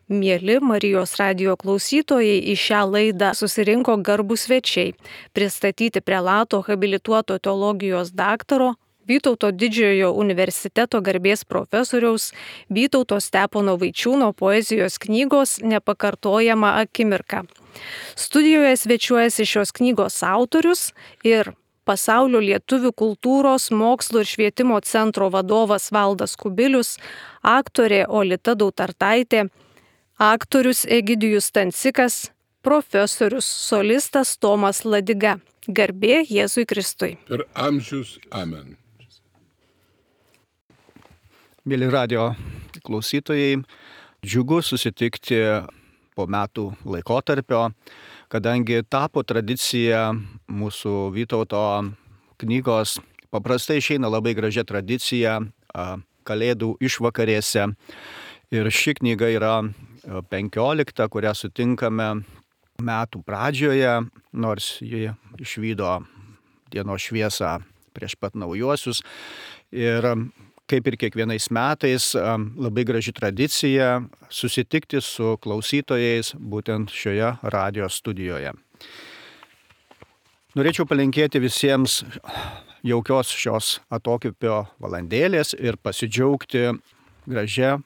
Mieli Marijos radijo klausytojai, į šią laidą susirinko garbūs svečiai pristatyti prelato habilituoto teologijos daktaro Vytauto Didžiojo universiteto garbės profesoriaus Vytauto Stepono Vaičiūno poezijos knygos Nepakartojama akimirka. Studijoje svečiuojasi šios knygos autorius ir Pasaulio lietuvių kultūros, mokslo ir švietimo centro vadovas Valdas Kubilius, aktorė Olita Dautartaitė, aktorius Egidijus Stancikas, profesorius solistas Tomas Ladiga. Garbė Jėzui Kristui. Per amžius. Amen. Mėly radio klausytojai, džiugu susitikti po metų laikotarpio, kadangi tapo tradicija mūsų Vytauto knygos, paprastai išeina labai gražia tradicija Kalėdų išvakarėse. Ir ši knyga yra 15, kurią sutinkame metų pradžioje, nors ji išvydo dienos šviesą prieš pat naujuosius. Ir kaip ir kiekvienais metais, labai graži tradicija susitikti su klausytojais būtent šioje radio studijoje. Norėčiau palinkėti visiems jaukios šios atokvėpio valandėlės ir pasidžiaugti gražia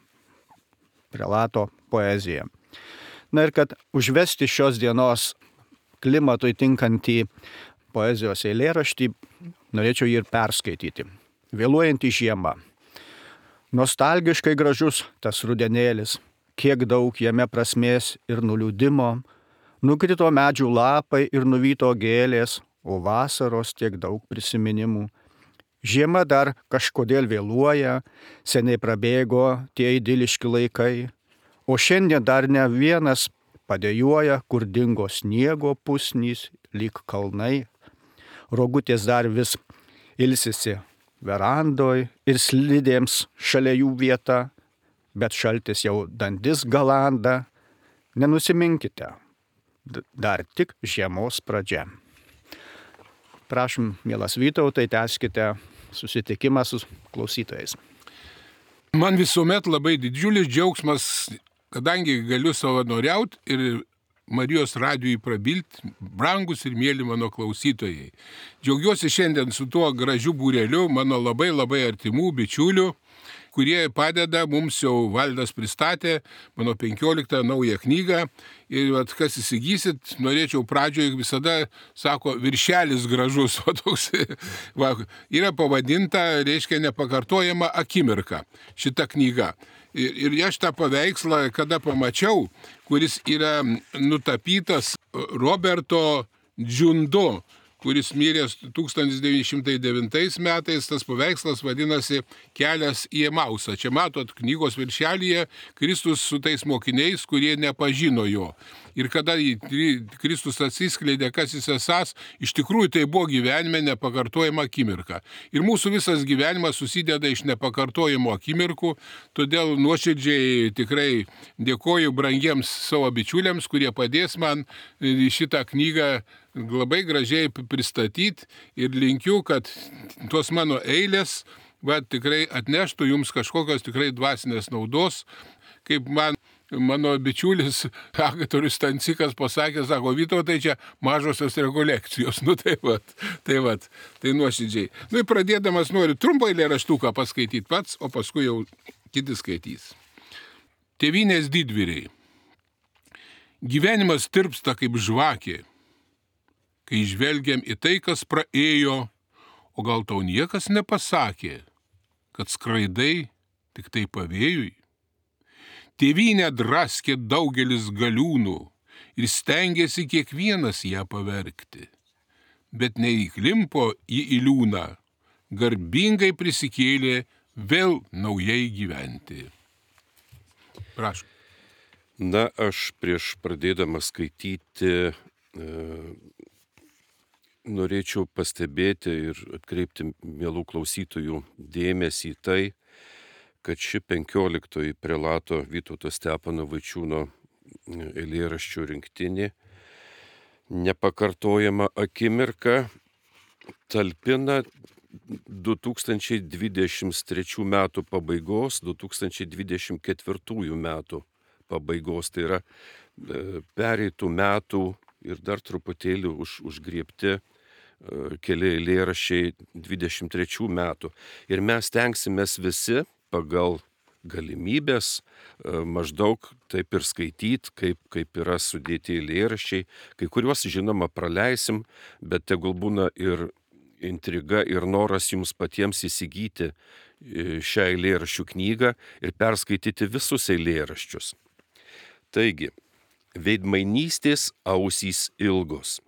prelato poezija. Na ir kad užvesti šios dienos klimatui tinkantį poezijos eilėraštį, norėčiau jį ir perskaityti. Vėluojanti žiema. Nostalgiškai gražus tas rudenėlis, kiek daug jame prasmės ir nuliūdimo, nukrito medžių lapai ir nuvyto gėlės, o vasaros tiek daug prisiminimų. Žiema dar kažkodėl vėluoja, seniai prabėgo tie idiliški laikai, o šiandien dar ne vienas padėjuoja, kur dingo sniego pusnys, lyg kalnai. Rogutės dar vis ilsisi verandoj ir slidėms šalia jų vieta, bet šaltis jau dandis galanda. Nenusiminkite, dar tik žiemos pradžia. Prašom, mielas Vytautai, tęskite susitikimą su klausytojais. Man visuomet labai didžiulis džiaugsmas, kadangi galiu savanoriauti ir Marijos radijui prabilti, brangus ir mėly mano klausytojai. Džiaugiuosi šiandien su tuo gražiu būreliu mano labai artimų bičiulių, kurie padeda, mums jau Valdas pristatė mano 15 naują knygą. Ir kas įsigysit, norėčiau pradžioje visada, sako, viršelis gražus, o toks yra pavadinta, reiškia, Nepakartojama akimirka šita knyga. Ir aš tą paveikslą, kada pamačiau, kuris yra nutapytas Roberto Džiundo, kuris mirė 1909 metais, tas paveikslas vadinasi Kelias į Emausą. Čia matot knygos viršelyje Kristus su tais mokiniais, kurie nepažino jo. Ir kada Kristus atsiskleidė, kas jis esąs, iš tikrųjų tai buvo gyvenime nepakartojama akimirka. Ir mūsų visas gyvenimas susideda iš nepakartojimo akimirkų, todėl nuoširdžiai tikrai dėkoju brangiems savo bičiuliams, kurie padės man šitą knygą labai gražiai pristatyti ir linkiu, kad tos mano eilės tikrai atneštų jums kažkokios tikrai dvasinės naudos, kaip mano bičiulis aktorius Stancikas pasakė, sako, Vytautai, čia mažosios rekolekcijos. Tai nuoširdžiai. Ir pradėdamas noriu trumpą eilėraštuką paskaityti pats, o paskui jau kiti skaitys. Tėvynės didvyriai. Gyvenimas tirpsta kaip žvakė, kai žvelgiam į tai, kas praėjo, o gal tau niekas nepasakė, kad skraidai tik tai pavėjui. Tėvynę draskė daugelis galiūnų ir stengėsi kiekvienas ją pavergti, bet neįklimpo į liūną, garbingai prisikėlė vėl naujai gyventi. Prašau. Na, aš prieš pradėdamas skaityti norėčiau pastebėti ir atkreipti mielų klausytojų dėmesį į tai, kad ši 15 prelato Vytauto Stepono Vaičiūno eilėraščių rinktinė Nepakartojama akimirka talpina 2023 metų pabaigos, 2024 metų pabaigos. Tai yra pereitų metų ir dar truputėlį užgriebti keli eilėraščiai 23 metų. Ir mes tenksimės visi pagal galimybės maždaug taip ir skaityti, kaip yra sudėti eilėraščiai. Kai kuriuos, žinoma, praleisim, bet tegul būna ir intriga ir noras jums patiems įsigyti šią eilėraščių knygą ir perskaityti visus eilėraščius. Taigi, veidmainystės ausys ilgos.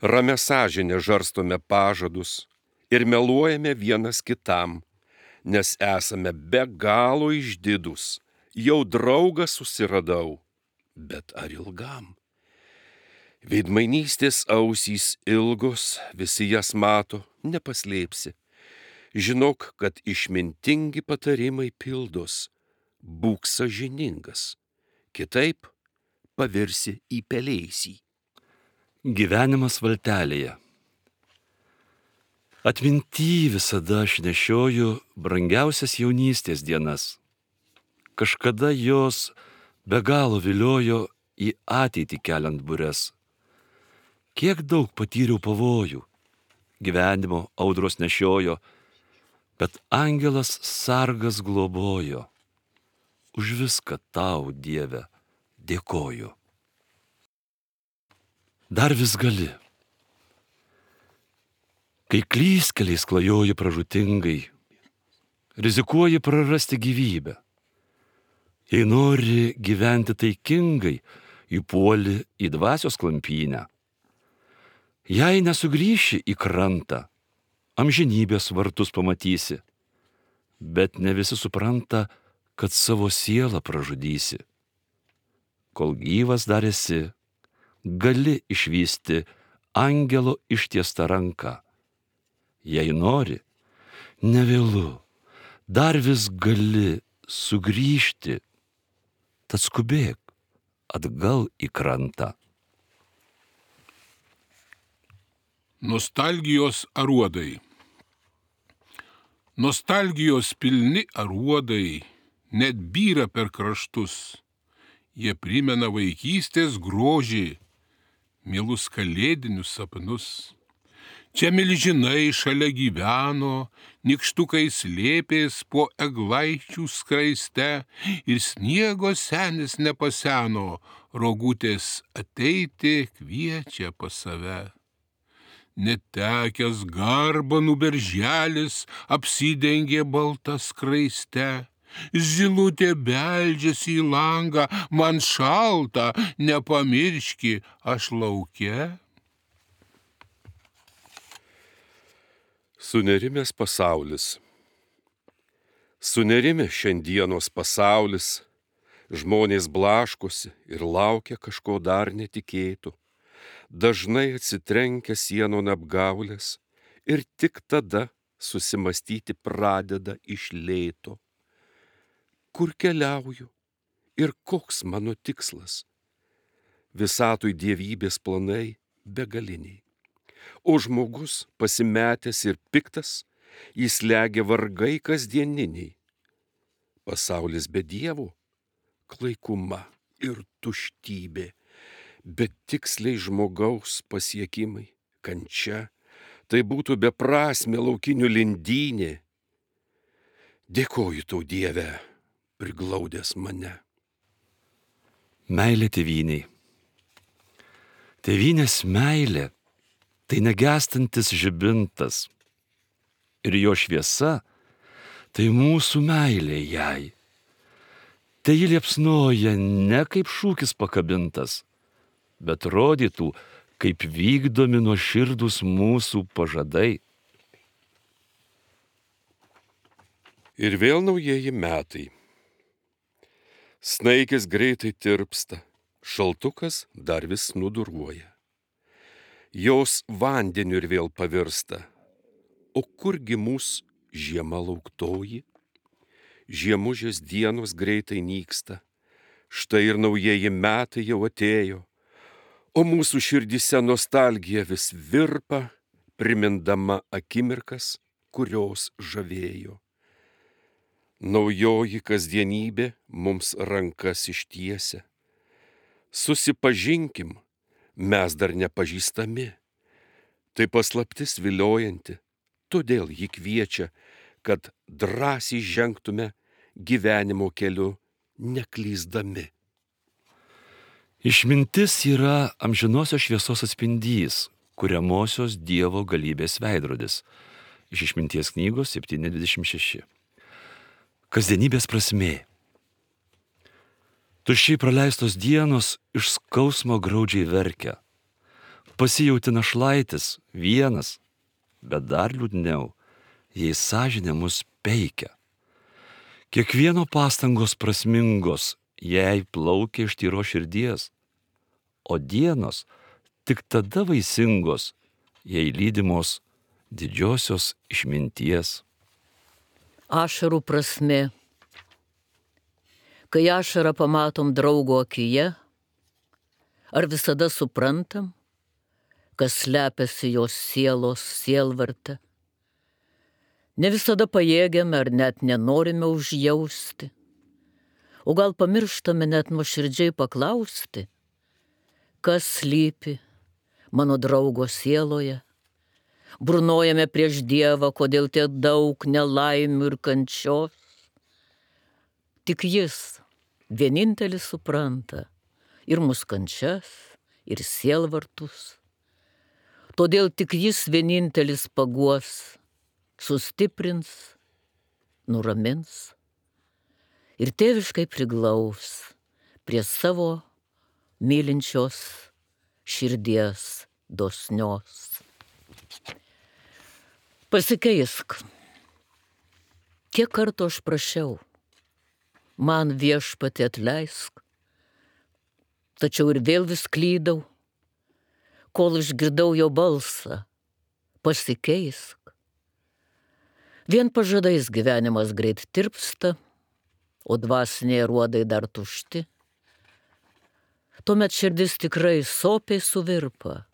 Ramia sąžinė žarstome pažadus ir meluojame vienas kitam, nes esame be galo išdidus. Jau draugą susiradau, bet ar ilgam? Veidmainystės ausys ilgos, visi jas mato, nepaslėpsi. Žinok, kad išmintingi patarimai pildos, būk sąžiningas, kitaip pavirsi į pelėsį. Gyvenimas valtelėje. Atminty visada aš nešioju brangiausias jaunystės dienas. Kažkada jos be galo viliojo į ateitį keliant bures. Kiek daug patyriau pavojų, gyvenimo audros nešiojo, bet angelas sargas globojo. Už viską tau, Dieve, dėkoju. Dar vis gali. Kai klystkeliais klajoji pražūtingai, rizikuoji prarasti gyvybę. Jei nori gyventi taikingai, įpuoli į dvasios klampynę. Jei nesugrįši į krantą, amžinybės vartus pamatysi, bet ne visi supranta, kad savo sielą pražudysi. Kol gyvas dar esi, gali išvysti angelo ištiestą ranką. Jei nori, nevėlu, dar vis gali sugrįžti, tad skubėk atgal į krantą. Nostalgijos aruodai. Nostalgijos pilni aruodai net byra per kraštus. Jie primena vaikystės grožį, mielus kalėdinius sapnus. Čia milžinai šalia gyveno, nykštukai slėpės po eglaičių skraiste ir sniego senis nepaseno, rogutės ateiti kviečia pas save. Netekęs garbanų berželis apsidengė baltą skraiste, zylutė beldžiasi į langą, man šalta, nepamirški, aš lauke. Sunerimęs pasaulis. Sunerimė šiandienos pasaulis, žmonės blaškosi ir laukia kažko dar netikėto. Dažnai atsitrenkia sienon apgaulės ir tik tada susimastyti pradeda iš lėto. Kur keliauju ir koks mano tikslas? Visatui dievybės planai begaliniai. O žmogus pasimetęs ir piktas, jis legia vargai kasdieniniai. Pasaulis be dievo, klaikuma ir tuštybė, bet tiksliai žmogaus pasiekimai, kančia, tai būtų beprasmė laukinių lindynė. Dėkoju tau, Dieve, priglaudęs mane. Meilė tėvynei. Tėvynės meilė tai negęstantis žibintas ir jo šviesa tai mūsų meilė jai. Tai ji liepsnoja ne kaip šūkis pakabintas, bet rodytų, kaip vykdomi nuoširdūs mūsų pažadai. Ir vėl naujieji metai. Snaikės greitai tirpsta, šaltukas dar vis nuduruoja. Jos vandeniu ir vėl pavirsta. O kurgi mūsų žiema lauktoji? Žiemužės dienos greitai nyksta. Štai ir naujieji metai jau atėjo. O mūsų širdyse nostalgija vis virpa, primindama akimirkas, kurios žavėjo. naujoji kasdienybė mums rankas ištiesia. Susipažinkim, mes dar nepažįstami. Tai paslaptis viliojanti, todėl ji kviečia, kad drąsiai žengtume gyvenimo keliu neklysdami. Išmintis yra amžinosios šviesos atspindys, kuriamosios Dievo galybės veidrodis. Iš Išminties knygos 7:26. Kasdienybės prasmė. Tuščiai praleistos dienos iš skausmo graudžiai verkia. Pasijauti našlaitis vienas, bet dar liūdniau, jei sąžinė mus peikia. Kiekvieno pastangos prasmingos, jei plaukia iš tyros širdies, o dienos tik tada vaisingos, jei lydimos didžiosios išminties. Ašarų prasmė. Kai ašarą pamatom draugo akyje, ar visada suprantam, kas slepiasi jos sielos sielvarte? Ne visada pajėgiame ar net nenorime užjausti, o gal pamirštame net nuoširdžiai paklausti, kas slypi mano draugo sieloje. Burnojame prieš Dievą, kodėl tiek daug nelaimių ir kančios. Tik jis vienintelis supranta ir mūsų kančias, ir sielvartus. Todėl tik jis vienintelis paguos, sustiprins, nuramins ir tėviškai priglaus prie savo mylinčios širdies dosnios. Pasikeisk. Kiek kartų aš prašiau, man Viešpatie atleisk, tačiau ir vėl vis klydau, kol išgirdau jo balsą, pasikeisk. Vien pažadais gyvenimas greit tirpsta, o dvasiniai ruodai dar tušti. Tuomet širdis tikrai sopiai suvirpa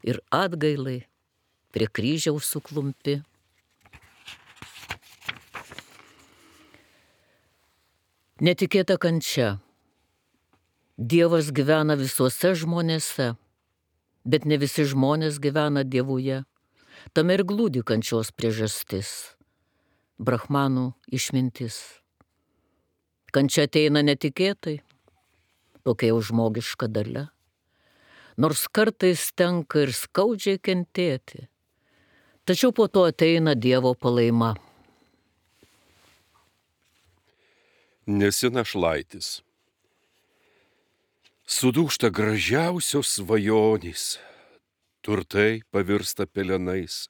ir atgailai prie kryžiaus suklumpi. Netikėta kančia. Dievas gyvena visuose žmonėse, bet ne visi žmonės gyvena Dievuje. Tame ir glūdi kančios priežastis. Brahmanų išmintis. Kančia ateina netikėtai, tokia jau žmogiška dalia. Nors kartais tenka ir skaudžiai kentėti, tačiau po to ateina Dievo palaima. Nesi našlaitis. Sudūžta gražiausios svajonės, turtai pavirsta pelenais,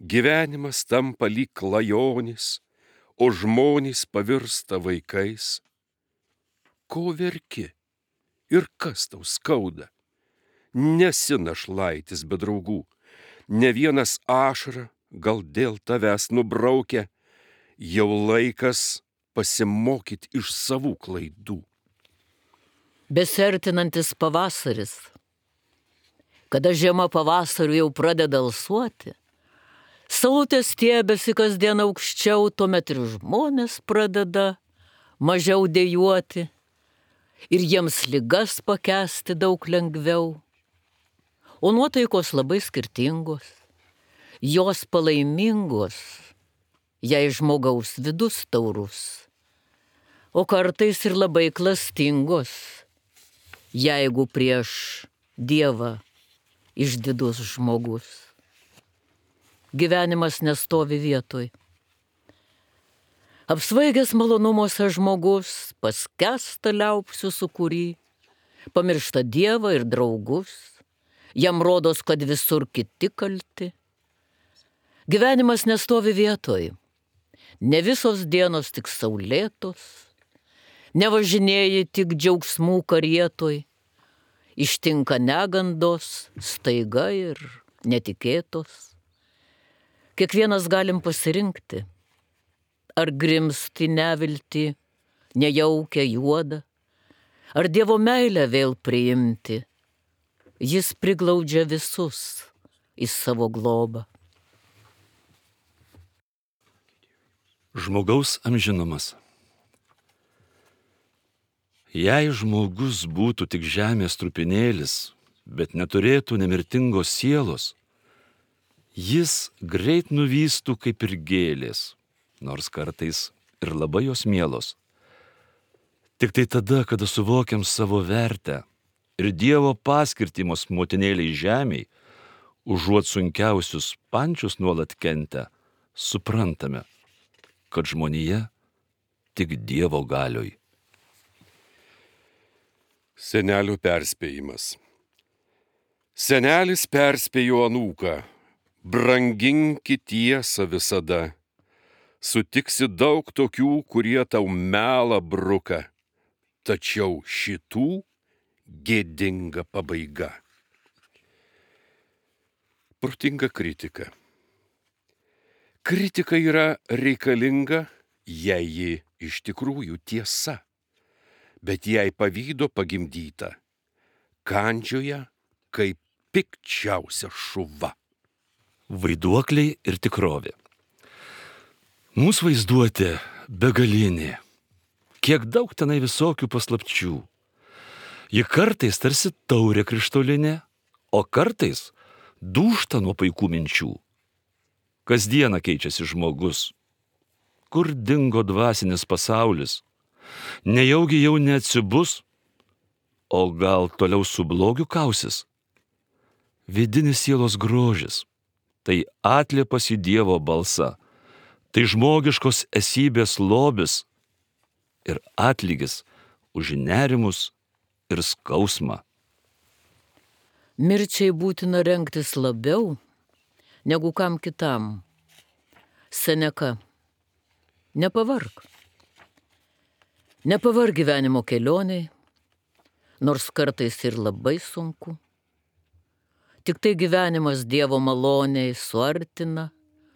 gyvenimas tampa lyg klajonės, o žmonės pavirsta vaikais. Ko verki ir kas tau skauda? Nesi našlaitis be draugų, ne vienas ašarą gal dėl tavęs nubraukia, jau laikas pasimokyti iš savų klaidų. Besertinantis pavasaris. Kada žiema pavasariu jau pradeda alsuoti, saulutės stiebėsi kasdien aukščiau, tuomet ir žmonės pradeda mažiau dejuoti ir jiems ligas pakęsti daug lengviau. O nuotaikos labai skirtingos, jos palaimingos, jei žmogaus vidus taurus, o kartais ir labai klastingos, jeigu prieš Dievą išdidus žmogus. Gyvenimas nestovi vietoj. Apsvaigęs malonumuose žmogus paskęsta liaupsių sūkury, pamiršta Dievą ir draugus, jam rodos, kad visur kiti kalti. Gyvenimas nestovi vietoj. Ne visos dienos tik saulėtos, nevažinėji tik džiaugsmų karietoj, ištinka negandos, staiga ir netikėtos. Kiekvienas galim pasirinkti, ar grimsti nevilti, nejaukia juoda, ar Dievo meilę vėl priimti. Jis priglaudžia visus į savo globą. Žmogaus amžinumas. Jei žmogus būtų tik žemės trupinėlis, bet neturėtų nemirtingos sielos, jis greit nuvystų kaip ir gėlės, nors kartais ir labai jos mielos. Tik tai tada, kada suvokiam savo vertę ir Dievo paskirtimos motinėliai žemiai, užuot sunkiausius pančius nuolat kentę, suprantame, kad žmonija tik Dievo galioj. Senelio perspėjimas. Senelis perspėjo anūką: branginki tiesą visada. Sutiksi daug tokių, kurie tau melą bruka, tačiau šitų gėdinga pabaiga. Protinga kritika. Kritika yra reikalinga, jei ji iš tikrųjų tiesa, bet jei pavydo pagimdyta, kandžioja kaip pikčiausia šuva. Vaiduokliai ir tikrovė. Mūsų vaizduotė begalinė. Kiek daug tenai visokių paslapčių. Ji kartais tarsi taurė krištolinė, o kartais dūžta nuo paikų minčių. Kasdieną keičiasi žmogus. Kur dingo dvasinis pasaulis? Nejaugi jau neatsibus, o gal toliau su blogiu kausis? Vidinis sielos grožis – tai atliepas į Dievo balsą, tai žmogiškos esybės lobis ir atlygis už nerimus ir skausmą. Mirčiai būtina rengtis labiau negu kam kitam. Seneka, nepavark. Nepavark gyvenimo kelioniai, nors kartais ir labai sunku. Tik tai gyvenimas Dievo maloniai suartina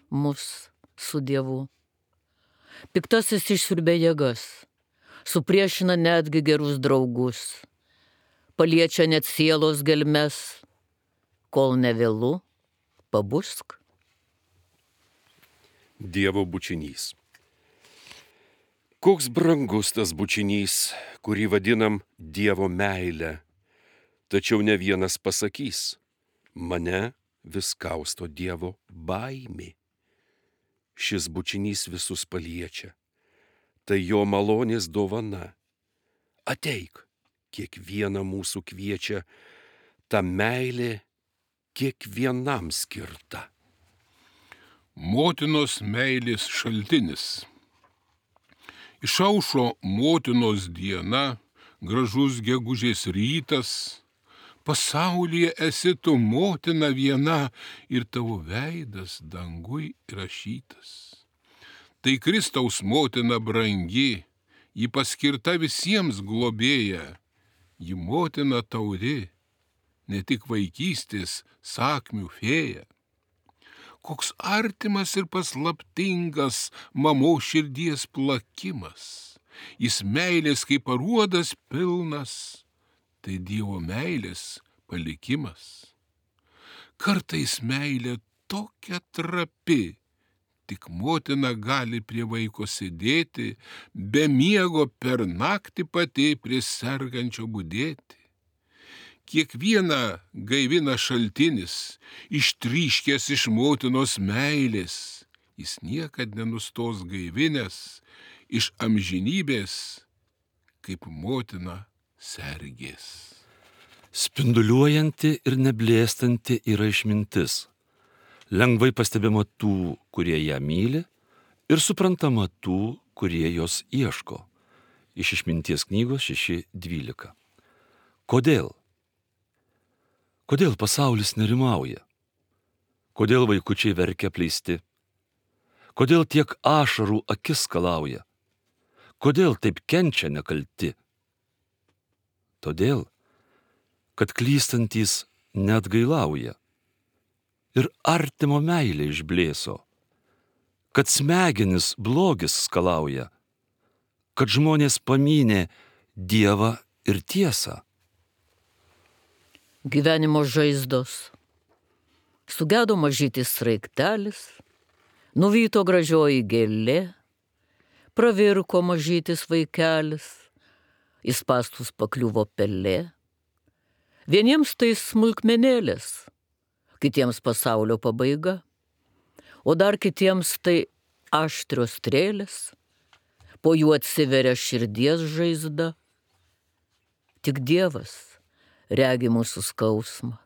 mus su Dievu. Piktasis išsiurbia jėgas, supriešina netgi gerus draugus, paliečia net sielos gelmes, kol nevėlu, pabusk. Dievo bučinys. Koks brangus tas bučinys, kurį vadinam Dievo meilę, tačiau ne vienas pasakys: mane vis kausto Dievo baimė. Šis bučinys visus paliečia. Tai jo malonės dovana. Ateik, kiekvieną mūsų kviečia, ta meilė kiekvienam skirta. Motinos meilės šaltinis. Išaušo motinos diena, gražus gegužės rytas. Pasaulyje esi tu motina viena ir tavo veidas dangui rašytas. Tai Kristaus motina brangi, ji paskirta visiems globėja, ji motina tauri, ne tik vaikystės sakmių fėja. Koks artimas ir paslaptingas mamos širdies plakimas, jis meilės kaip aruodas pilnas, tai Dievo meilės palikimas. Kartais meilė tokia trapi, tik motina gali prie vaiko sėdėti, be miego per naktį pati prie sergančio budėti. Kiekvieną gaivina šaltinis, ištryškęs iš motinos meilės, jis niekad nenustos gaivinęs, iš amžinybės, kaip motina sergės. Spinduliuojanti ir neblėstanti yra išmintis. Lengvai pastebima tų, kurie ją myli, ir suprantama tų, kurie jos ieško. Iš Išminties knygos 6.12. Kodėl? Kodėl pasaulis nerimauja? Kodėl vaikučiai verkia apleisti? Kodėl tiek ašarų akis skalauja? Kodėl taip kenčia nekalti? Todėl, kad klystantys neatgailauja ir artimo meilė išblėso, kad smegenis blogis skalauja, kad žmonės pamynė Dievą ir tiesą. Gyvenimo žaizdos. Sugedo mažytis sraigtelis, nuvyto gražioji gėlė, pravirko mažytis vaikelis, į spąstus pakliuvo pelė. Vieniems tai smulkmenėlės, kitiems pasaulio pabaiga, o dar kitiems tai aštrios strėlės, po jų atsiveria širdies žaizda. Tik Dievas regi mūsų skausmą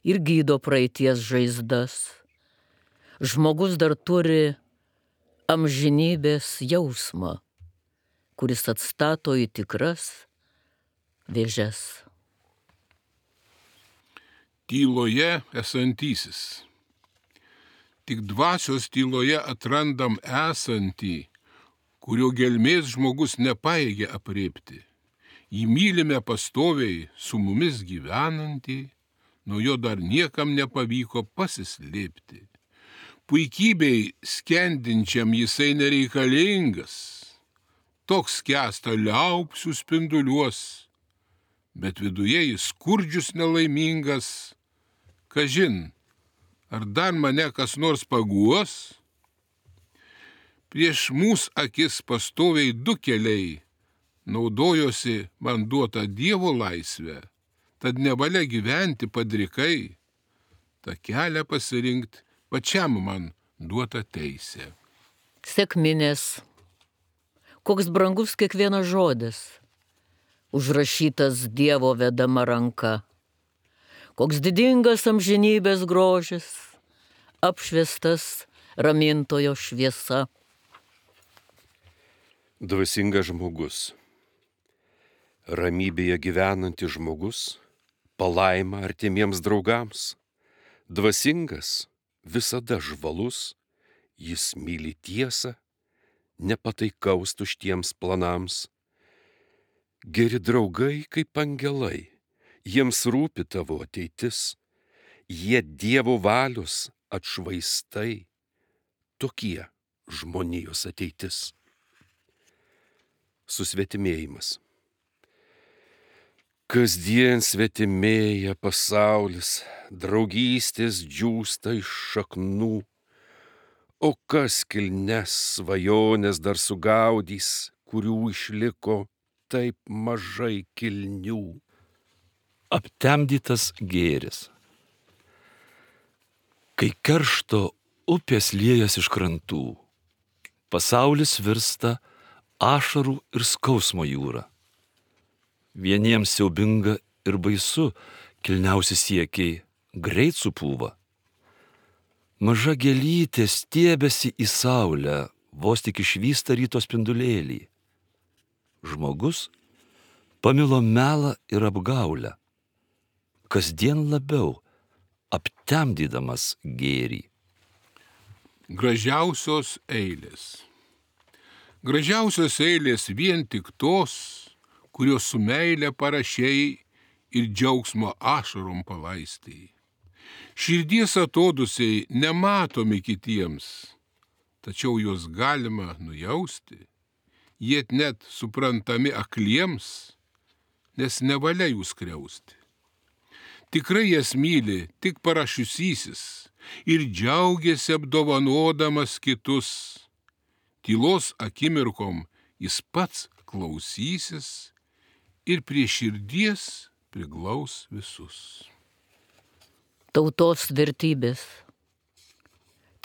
ir gydo praeities žaizdas. Žmogus dar turi amžinybės jausmą, kuris atstato į tikras vėžes. Tyloje esantysis. Tik dvasios tyloje atrandam esantį, kurio gelmės žmogus nepajėgia apriepti. Jį mylime pastoviai, su mumis gyvenantį, nuo jo dar niekam nepavyko pasislėpti. Puikybei skendinčiam jisai nereikalingas, toks skęsta liaupsių spinduliuos, bet viduje jis skurdžius nelaimingas. Kažin, ar dar mane kas nors paguos? Prieš mūsų akis pastoviai du keliai, naudojosi man duota Dievo laisvę, tad nevalia gyventi padrikai, tą kelią pasirinkti pačiam man duota teisė. Sekminės. Koks brangus kiekvienas žodis, užrašytas Dievo vedama ranka. Koks didingas amžinybės grožis, apšviestas ramintojo šviesa. Dvasingas žmogus. Ramybėje gyvenantis žmogus, palaima artimiems draugams. Dvasingas, visada žvalus, jis myli tiesą, nepataikaus tuštiems planams. Geri draugai kaip angelai, jiems rūpi tavo ateitis, jie Dievo valios atšvaistai, tokie žmonijos ateitis. Susvetimėjimas. Kasdien svetimėja pasaulis, draugystės džiūsta iš šaknų, o kas kilnes svajonės dar sugaudys, kurių išliko taip mažai kilnių. Aptemdytas gėris. Kai keršto upės liejas iš krantų, pasaulis virsta ašarų ir skausmo jūra. Vieniems siaubinga ir baisu, kilniausi siekiai greit supūva. Maža gėlytė stiebėsi į saulę, vos tik išvysta ryto spindulėlį. Žmogus pamilo melą ir apgaulę, kasdien labiau aptemdydamas gėrį. Gražiausios eilės. Gražiausios eilės vien tik tos, kurios su meile parašėjai ir džiaugsmo ašarom palaistėjai. Širdies atodusiai nematomi kitiems, tačiau juos galima nujausti, jie net suprantami akliems, nes nevalia jų skriausti. Tikrai jas myli tik parašiusysis ir džiaugiasi apdovanodamas kitus. Tylos akimirkom jis pats klausysis ir prie širdies priglaus visus. Tautos vertybės.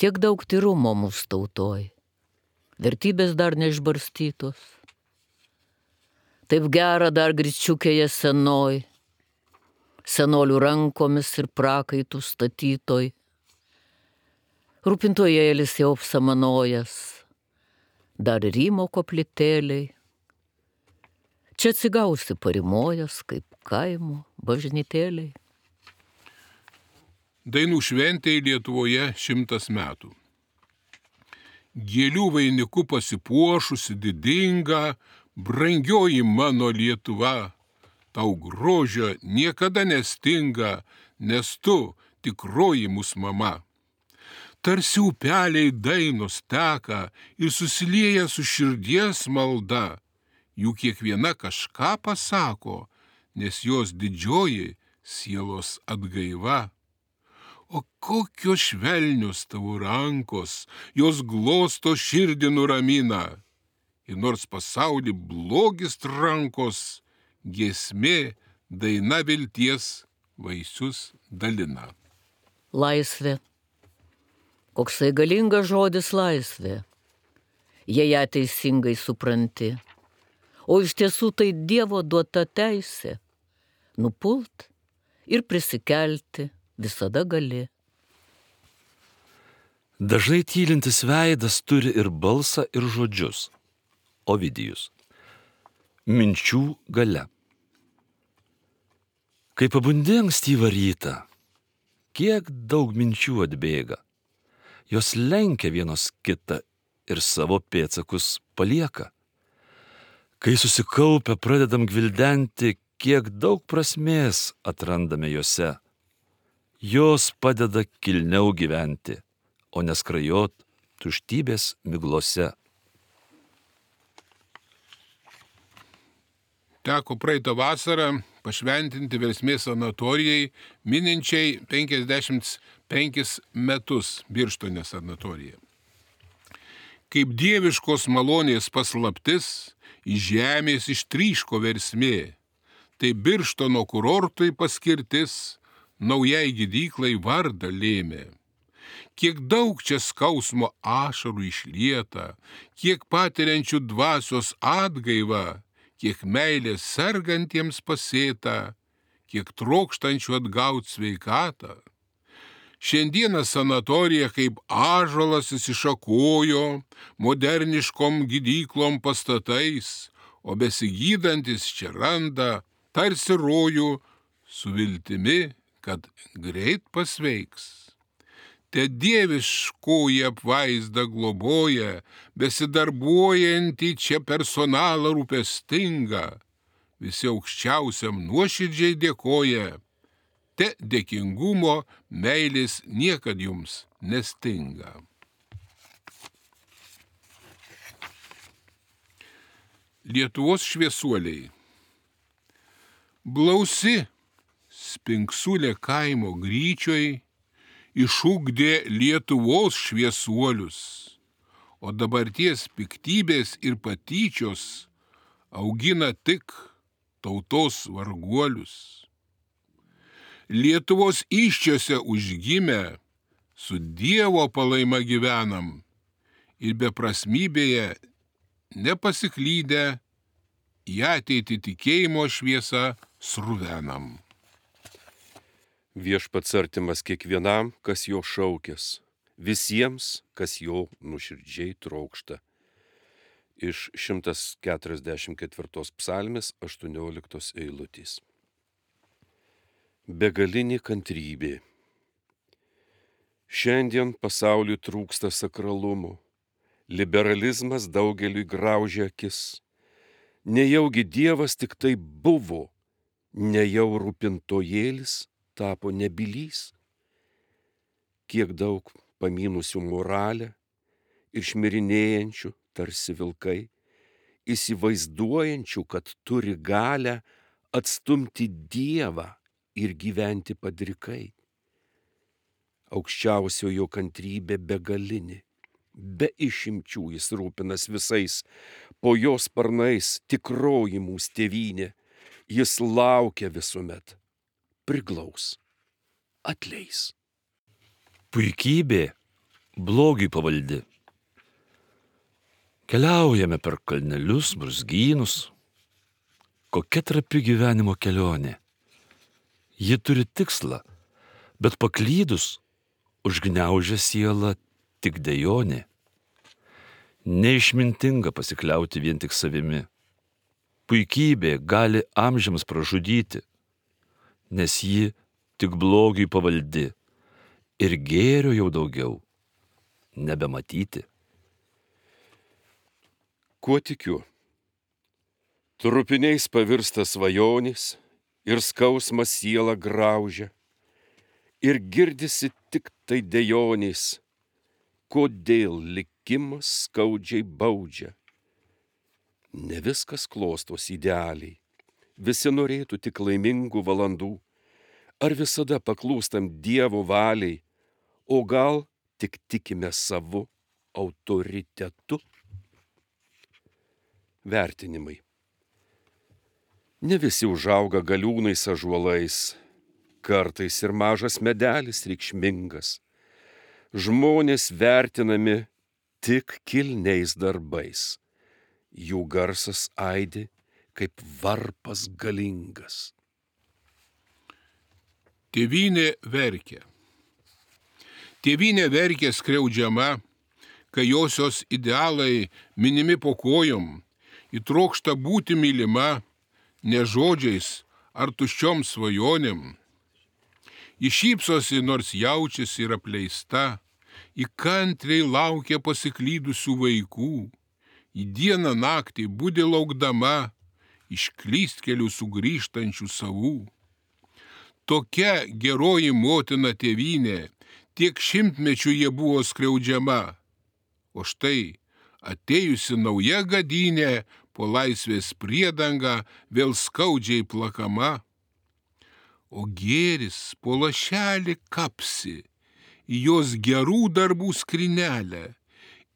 Tiek daug tyrumo mūsų tautoj. Vertybės dar neišbarstytos. Taip gera dar gričiukėje senoj, senolių rankomis ir prakaitų statytoj. Rūpintojėlis jau apsamanojas, dar rymo koplytėliai. Čia atsigausi parimojas, kaip kaimo bažnytėliai. Dainų šventėje Lietuvoje 100 metų. Gėlių vainiku pasipuošusi didinga, brangioji mano Lietuva, tau grožio niekada nestinga, nes tu tikroji mūsų mama. Tarsi upeliai dainos teka ir susilieja su širdies malda, jų kiekviena kažką pasako, nes jos didžioji sielos atgaiva. O kokios švelnios tavo rankos, jos glosto širdį nuramina. ir nors pasaulį blogis trankos, giesmė, daina vilties vaisius dalina. Laisvė. Koksai galingas žodis laisvė, jei ją teisingai supranti. O iš tiesų tai Dievo duota teisė. Nupult ir prisikelti visada gali. Dažnai tylintis veidas turi ir balsą, ir žodžius. Ovidijus. Minčių galia. Kai pabundi ankstyvą rytą, kiek daug minčių atbėga. Jos lenkia vienos kitą ir savo pėdsakus palieka. Kai susikaupę pradedam gvildenti, kiek daug prasmės atrandame jose. Jos padeda kilniau gyventi, o neskrajot tuštybės miglose. Teko praeitą vasarą pašventinti Versmės sanatorijai, mininčiai 55 metus Birštone sanatorija. Kaip dieviškos malonės paslaptis, iš žemės ištryško Versmė, tai Birštono kurortui paskirtis naujai gydyklai vardą lėmė. Kiek daug čia skausmo ašarų išlieta, kiek patiriančių dvasios atgaivą, kiek meilės sergantiems pasėta, kiek trokštančių atgauti sveikatą. Šiandieną sanatorija kaip ąžuolas įsišakojo moderniškom gydyklom pastatais, o besigydantis čia randa tarsi rojų su viltimi, kad greit pasveiks. Te dieviškoji apvaizda globoja, besidarbuojantį čia personalą rūpestingą, visi aukščiausiam nuoširdžiai dėkoja, te dėkingumo meilės niekad jums nestinga. Lietuvos šviesuoliai. Blausi Spinksulė kaimo gryčioj išugdė Lietuvos šviesuolius, o dabarties piktybės ir patyčios augina tik tautos varguolius. Lietuvos iščiose užgimę, su Dievo palaima gyvenam ir beprasmybėje nepasiklydę į ateitį tikėjimo šviesą sruvenam. Viešpats artimas kiekvienam, kas jo šaukės, visiems, kas jo nuoširdžiai trokšta. Iš 144 psalmės 18 eilutės. Begalinė kantrybė. Šiandien pasauliui trūksta sakralumo, liberalizmas daugeliui graužia akis. Nejaugi Dievas tik tai buvo, nejau rūpintojėlis tapo nebylys. Kiek daug pamynusių moralę ir šmirinėjančių tarsi vilkai, įsivaizduojančių, kad turi galę atstumti Dievą ir gyventi padrikai. Aukščiausiojo kantrybė begalinė, be išimčių jis rūpinas visais, po jos sparnais tikroji mūsų tėvynė, jis laukia visuomet, priglaus, atleis. Puikybė blogiui pavaldi. Keliaujame per kalnelius, brūzgynus. Kokia trapi gyvenimo kelionė. Ji turi tikslą, bet paklydus užgniaužia sielą tik dejonė. Neišmintinga pasikliauti vien tik savimi. Puikybė gali amžiams pražudyti, nes ji tik blogiui pavaldi ir gėrio jau daugiau nebematyti. Kuo tikiu? Trupiniais pavirsta svajonės ir skausmas sielą graužia. Ir girdisi tik tai dejonės, kodėl likimas skaudžiai baudžia. Ne viskas klostos idealiai, visi norėtų tik laimingų valandų. Ar visada paklūstam Dievo valiai, o gal tik tikime savu autoritetu? vertinimai. Ne visi užauga galiūnais ąžuolais, kartais ir mažas medelis reikšmingas. Žmonės vertinami tik kilniais darbais. Jų garsas aidi kaip varpas galingas. Tėvynė verkia. Tėvynė verkia skriaudžiama, kai josios idealai minimi po kojom, įtrokšta būti mylima, ne žodžiais ar tuščiom svajonėm. Ji šypsosi, nors jaučiasi ir apleista, ji kantriai laukia pasiklydusių vaikų, į dieną naktį budi laukdama iš klystkelių sugrįžtančių savų. Tokia geroji motina tėvynė, tiek šimtmečių jie buvo skriaudžiama, o štai atėjusi nauja gadynė po laisvės priedanga vėl skaudžiai plakama. O gėris po lašelį kapsi į jos gerų darbų skrynelę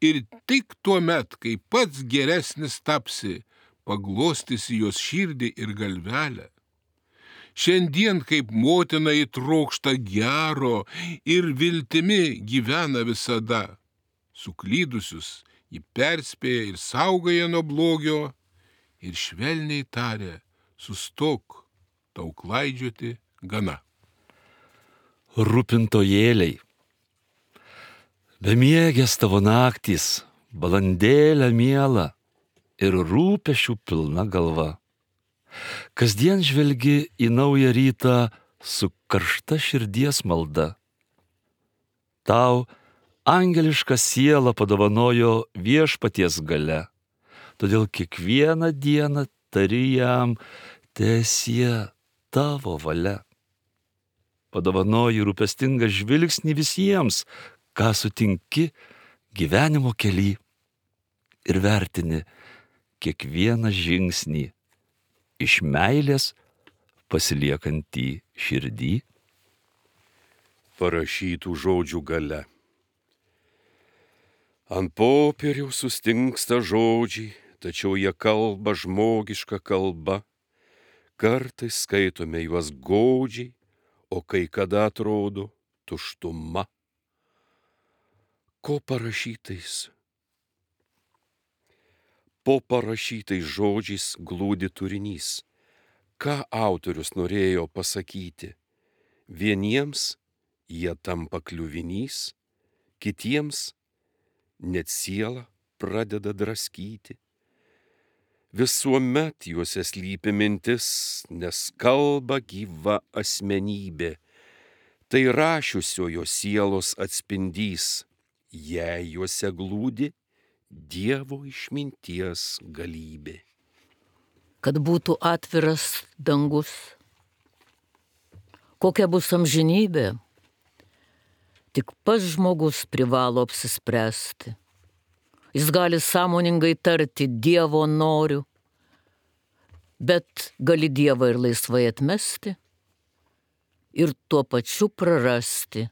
ir tik tuomet, kai pats geresnis tapsi, paglostysi jos širdį ir galvelę. Šiandien kaip motina įtrokšta gero ir viltimi gyvena visada. Suklydusius ji perspėja ir saugoja nuo blogio ir švelniai taria, sustok, tau klaidžioti gana. Rūpintojėliai. Bemiegės tavo naktys, balandėlė miela ir rūpešių pilna galva. Kasdien žvelgi į naują rytą su karšta širdies malda. Tau angeliška siela padovanojo viešpaties galia, todėl kiekvieną dieną tari jam, teesie tavo valia. Padovanoji rūpestingą žvilgsnį visiems, ką sutinki gyvenimo kely, ir vertini kiekvieną žingsnį iš meilės pasiliekantį širdį. Parašytų žodžių gale. Ant popieriaus sustingsta žodžiai, tačiau jie kalba žmogiška kalba. Kartais skaitome juos godžiai, o kai kada atrodo tuštuma. Ko parašytais? Po parašytais žodžiais glūdi turinys. Ką autorius norėjo pasakyti? Vieniems jie tampa kliuvinys, kitiems net sielą pradeda draskyti. Visuomet juose slypi mintis, nes kalba gyva asmenybė. Tai rašiusiojo sielos atspindys, jei juose glūdi Dievo išminties galybė. Kad būtų atviras dangus. Kokia bus amžinybė? Tik pats žmogus privalo apsispręsti. Jis gali sąmoningai tarti Dievo noriu, bet gali Dievą ir laisvai atmesti ir tuo pačiu prarasti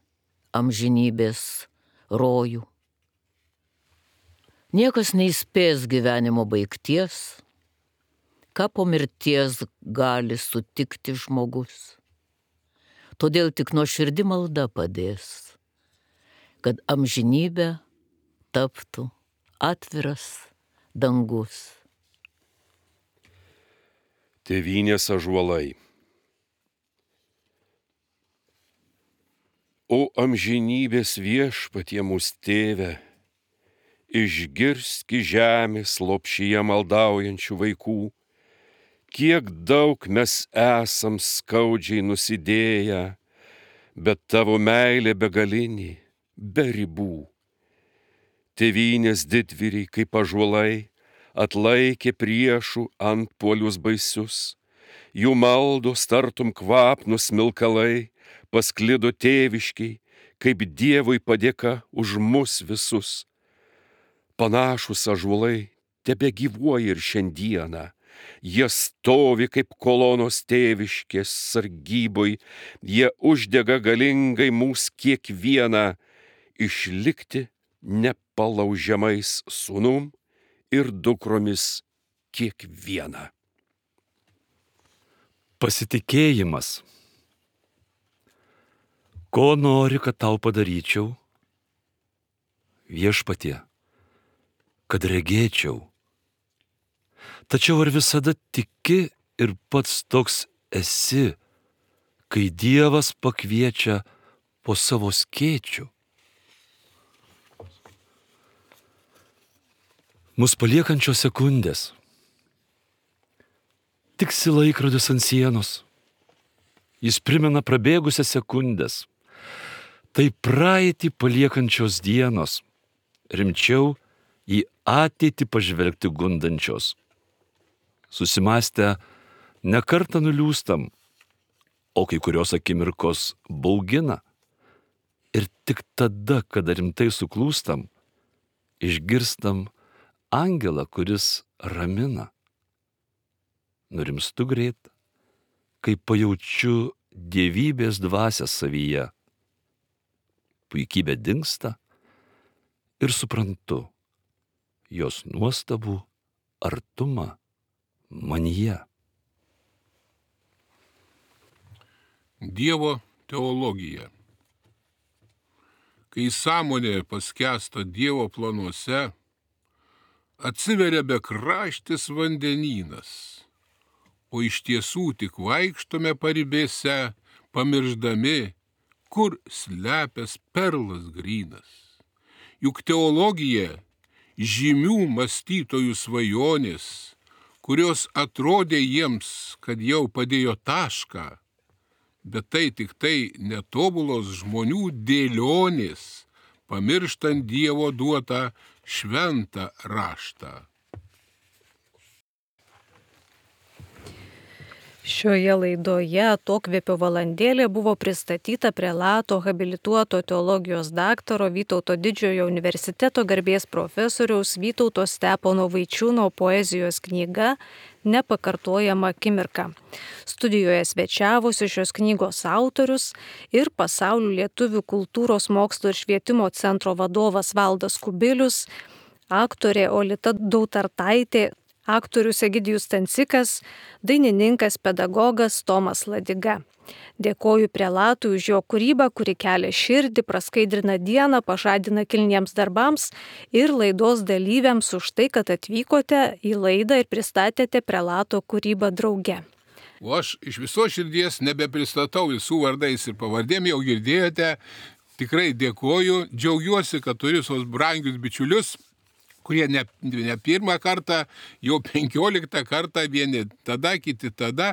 amžinybės rojų. Niekas neįspės gyvenimo baigties, ką po mirties gali sutikti žmogus. Todėl tik nuoširdi malda padės, kad amžinybė taptų atviras dangus. Tėvynės ąžuolai. O amžinybės viešpatie mūsų tėve, išgirski žemės lopšyje maldaujančių vaikų, kiek daug mes esam skaudžiai nusidėję, bet tavo meilė begalinė, be ribų. Tėvynės didvyriai kaip ąžuolai atlaikė priešų antpuolius baisius, jų maldos tartum kvapnūs smilkalai pasklido tėviškiai, kaip Dievui padėka už mus visus. Panašus ąžuolai tebegyvuoja ir šiandieną. Jie stovi kaip kolonos tėviškės sargyboj, jie uždega galingai mūs kiekvieną išlikti nepalaužiamais sūnum ir dukromis kiekvieną. Pasitikėjimas. Ko nori, kad tau padaryčiau? Viešpatie, kad regėčiau. Tačiau ar visada tiki ir pats toks esi, kai Dievas pakviečia po savo skėčių? Mus paliekančios sekundės. Tiksi laikrodis ant sienos. Jis primena prabėgusias sekundės. Tai praeitį paliekančios dienos. Rimčiau į ateitį pažvelgti gundančios. Susimąstę, nekartą nuliūstam, o kai kurios akimirkos baugina. Ir tik tada, kada rimtai suklūstam, išgirstam angelą, kuris ramina. Nurimstu greit, kai pajaučiu dievybės dvasią savyje. Puikybė dingsta ir suprantu jos nuostabų artumą manyje. Dievo teologija. Kai sąmonė paskęsta Dievo planuose, atsiveria bekraštis vandenynas, o iš tiesų tik vaikštome paribėse, pamirždami, kur slepias perlas grynas. Juk teologija žymių mąstytojų svajonės, kurios atrodė jiems, kad jau padėjo tašką, bet tai tik tai netobulos žmonių dėlionės, pamirštant Dievo duotą šventą raštą. Šioje laidoje Atokvėpio valandėlė buvo pristatyta prelato habilituoto teologijos daktaro Vytauto Didžiojo universiteto garbės profesoriaus Vytauto Stepono Vaičiūno poezijos knyga Nepakartojama akimirka. Studijoje svečiavosi šios knygos autorius ir Pasaulio lietuvių kultūros mokslo ir švietimo centro vadovas Valdas Kubilius, aktorė Olita Dautartaitė, aktorius Egidijus Stancikas, dainininkas, pedagogas Tomas Ladiga. Dėkoju prelatui už jo kūrybą, kuri kelia širdį, praskaidrina dieną, pažadina kilniems darbams, ir laidos dalyviams už tai, kad atvykote į laidą ir pristatėte prelato kūrybą drauge. O aš iš viso širdies nebepristatau visų vardais ir pavardėm, jau girdėjote. Tikrai dėkoju, džiaugiuosi, kad turiu sos brangius bičiulius, kurie ne pirmą kartą, jau 15 kartą, vieni tada, kiti tada,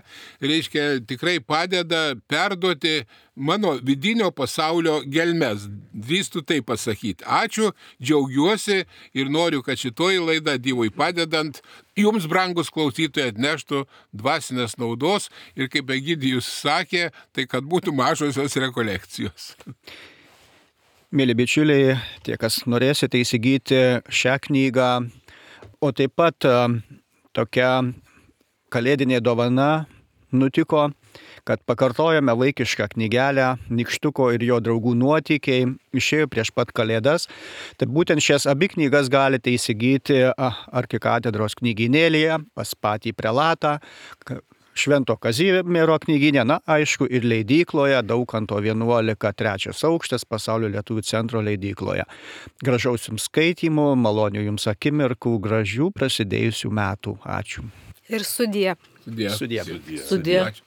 reiškia, tikrai padeda perduoti mano vidinio pasaulio gelmes. Drįstu tai pasakyti. Ačiū, džiaugiuosi ir noriu, kad šitoji laida Dievui padedant jums, brangus klausytojai, atneštų dvasinės naudos ir, kaip Egidijus sakė, tai kad būtų mažosios rekolekcijos. Mėly bičiuliai, tie, kas norėsite įsigyti šią knygą, o taip pat tokia kalėdinė dovana nutiko, kad pakartojame vaikišką knygelę Nykštuko ir jo draugų nuotykiai, išėjo prieš pat kalėdas. Tai būtent šias abi knygas galite įsigyti arkikatedros knygynėlėje, pas patį prelatą, Švento Kazimiero knyginė, aišku, ir leidykloje, Daukanto 11, 3 aukštas, Pasaulio lietuvių centro leidykloje. Gražaus jums skaitymų, malonių jums akimirkų, gražių prasidėjusių metų. Ačiū. Ir sudie. Sudie. Sudie.